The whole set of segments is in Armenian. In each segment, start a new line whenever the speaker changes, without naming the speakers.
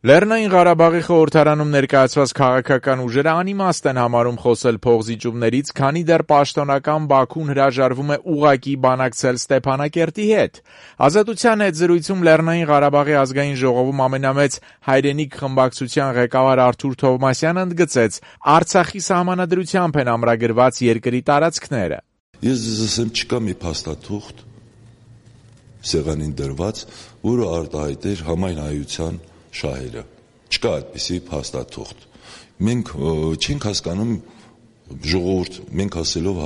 Լեռնային Ղարաբաղի խորհրդարանում ներկայացված քաղաքական ուժերը անիմաստ են համարում խոսել փոխզիջումներից, քանի դեռ պաշտոնական Բաքուն հրաժարվում է ուղղակի բանակցել Ստեփանակերտի հետ։ Ազատության հետ զրույցում Լեռնային Ղարաբաղի ազգային ժողովում ամենամեծ հայրենիք խմբակցության ղեկավար Արթուր Թովմասյանը ընդգծեց՝ Արցախի սահմանադրությամբ են ամրագրված երկրի տարածքները։
Ես ձեզ ասեմ, չկա մի փաստաթուղթ սեղանին դրված, որը արտահայտեր համայն հայության շահերը, չկա այդպիսի փաստաթուղթ։ Մենք չենք հասկանում ժողովուրդ, մենք ասելով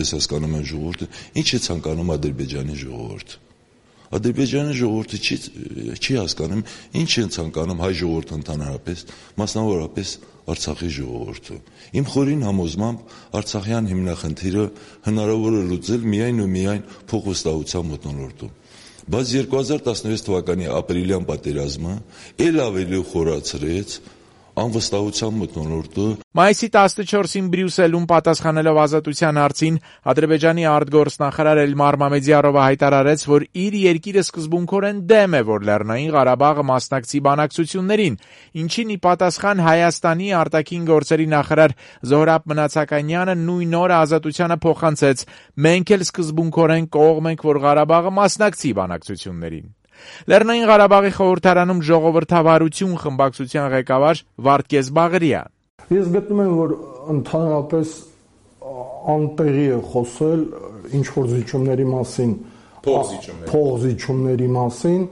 ես հասկանում եմ ժողովուրդը, ինչ է ցանկանում Ադրբեջանի ժողովուրդը։ Ադրբեջանի ժողովուրդը չի հասկանում ինչ են ցանկանում հայ ժողովուրդը ընդհանրապես, մասնավորապես Արցախի ժողովուրդը։ Իմ խորին համոզմամբ Արցախյան հիմնախնդիրը հնարավոր է լուծել միայն ու միայն փոխվստահության մթնոլորտում։ Բայց 2016 թվականի ապրիլյան պատերազմը էլ ավելի խորացրեց անվստահության մթնոլորտը։
Մայիսի 14-ին Բրյուսելում պատասխանելով ազատության հարցին Ադրբեջանի արտգործնախարար Էլմար Մամեդյարովը հայտարարեց, որ իր երկիրը սկզբունքորեն դեմ է, որ Լեռնային Ղարաբաղը մասնակցի բանակցություններին, ինչին ի պատասխան Հայաստանի արտաքին գործերի նախարար Զոհրաբ Մնացականյանը նույն օրը ազատությանը փոխանցեց. «Մենք էլ սկզբունքորեն կողմ ենք, որ Ղարաբաղը մասնակցի բանակցություններին»։ Լեռնային Ղարաբաղի խորհրդարանում ժողովրդավարություն խմբակցության ղեկավար Վարդգես Բաղարյան։
Ես գտնում եմ, որ ընդհանրապես անտեղի է խոսել ինչ-որ զիջումների մասին, փոխզիջումների մասին,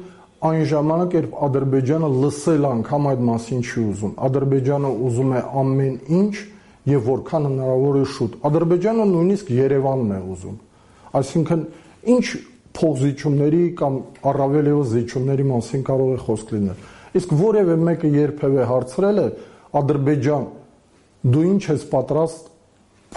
այն ժամանակ, երբ Ադրբեջանը լսել անգամ այդ մասին չի ուզում։ Ադրբեջանը ուզում է ամեն ինչ եւ որքան հնարավոր է շուտ։ Ադրբեջանը նույնիսկ Երևանն է ուզում։ Այսինքն ինչ փոխզիջումների կամ առավել ևս զիջումների մասին կարող է խոսք լինել։ Իսկ որևէ մեկը երբևէ հարցրել է Ադրբեջան, դու ինչ ես պատրաստ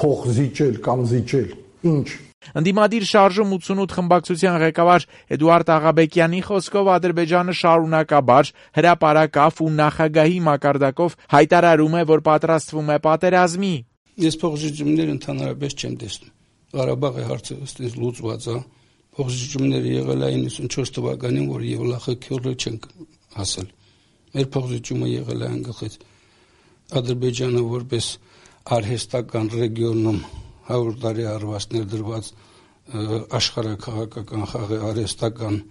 փոխզիջել կամ զիջել, ինչ։
Ընդդիմադիր շարժում 88 խմբակցության ղեկավար Էդուարդ Աղաբեկյանի խոսքով Ադրբեջանը շարունակաբար հրապարակավ ու նախագահի մակարդակով հայտարարում է, որ պատրաստվում է պատերազմի։
Ես փոխզիջումներ ընդհանրապես չեմ տեսնում։ Ղարաբաղի հարցը ըստ լուծված է։ Փոխզիջումները եղել է 94 թվականին, որ եւ լախակյորը չենք հասել։ Մեր փոխզիջումը եղել է անգախից Ադրբեջանը որպես արհեստական ռեգիոնում 100 տարի արված ներդրված աշխարհաքաղաքական խաղի արհեստական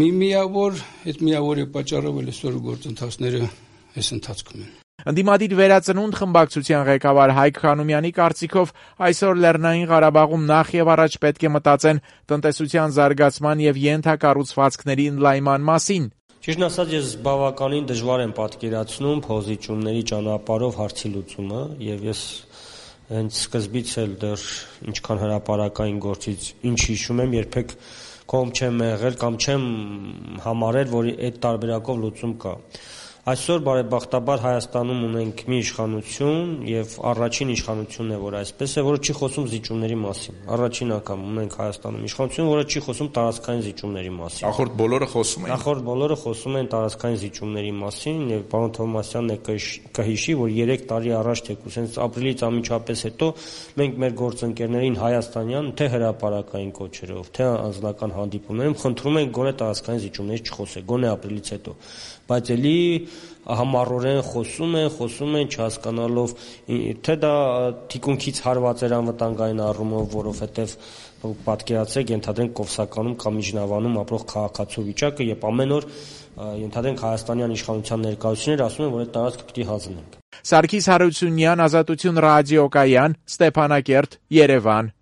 մի միավոր, այդ միավորի պատճառով էլ այսօր գործընթացները այս ընթացքում են։
Ընդդիմադիր վերածնունդ խմբակցության ղեկավար Հայկ Խանոմյանի կարծիքով այսօր Լեռնային Ղարաբաղում նախ եւ առաջ պետք է մտածեն տնտեսության զարգացման եւ ենթակառուցվածքների ընդլայնման մասին։
Ճիշտն ասած, ես բավականին դժվար եմ պատկերացնում փոխզիջումների ճանապարհով հարցի լուծումը եւ ես հենց սկզբից էլ դեռ ինչքան հրապարակային գործից ինչ հիշում եմ, երբեք կողմ չեմ եղել կամ չեմ համարել, որ այդ տարբերակով լուծում կա։ Այսօր բարեբախտաբար Հայաստանում ունենք մի իշխանություն եւ առաջին իշխանությունն է, որ այսպես է, որը չի խոսում զիջումների մասին։ Առաջին անգամ ունենք Հայաստանում իշխանություն, որը չի խոսում տարածքային զիջումների մասին։
Նախորդ բոլորը խոսում են։
Նախորդ բոլորը խոսում են տարածքային զիջումների մասին եւ պարոն Թովմասյանն է կհիշի, որ 3 տարի առաջ թեկուզ հենց ապրիլից անմիջապես հետո մենք մեր գործընկերներին հայաստանյան թե հրապարակային կոչերով, թե անձնական հանդիպումներում խնդրում ենք գոնե տարածքային զիջումներից չխոսել, գոնե ապրիլից հետո։ Բայց էլի համառորեն խոսում են չհասկանալով թե դա թիկունքից հարված էր անվտանգային առումով, որովհետև պատկերացրեք ենթադրենք Կովսականում կամ Միջնավանում ապրող քաղաքացու վիճակը, երբ ամեն օր ենթադրենք հայաստանյան իշխանության ներկայացուցիչներ ասում են, որ այդ տարածքը պիտի հանձնենք։
Սարգիս Հարությունյան, Ազատություն ռադիոկայան, Ստեփանակերտ, Երևան։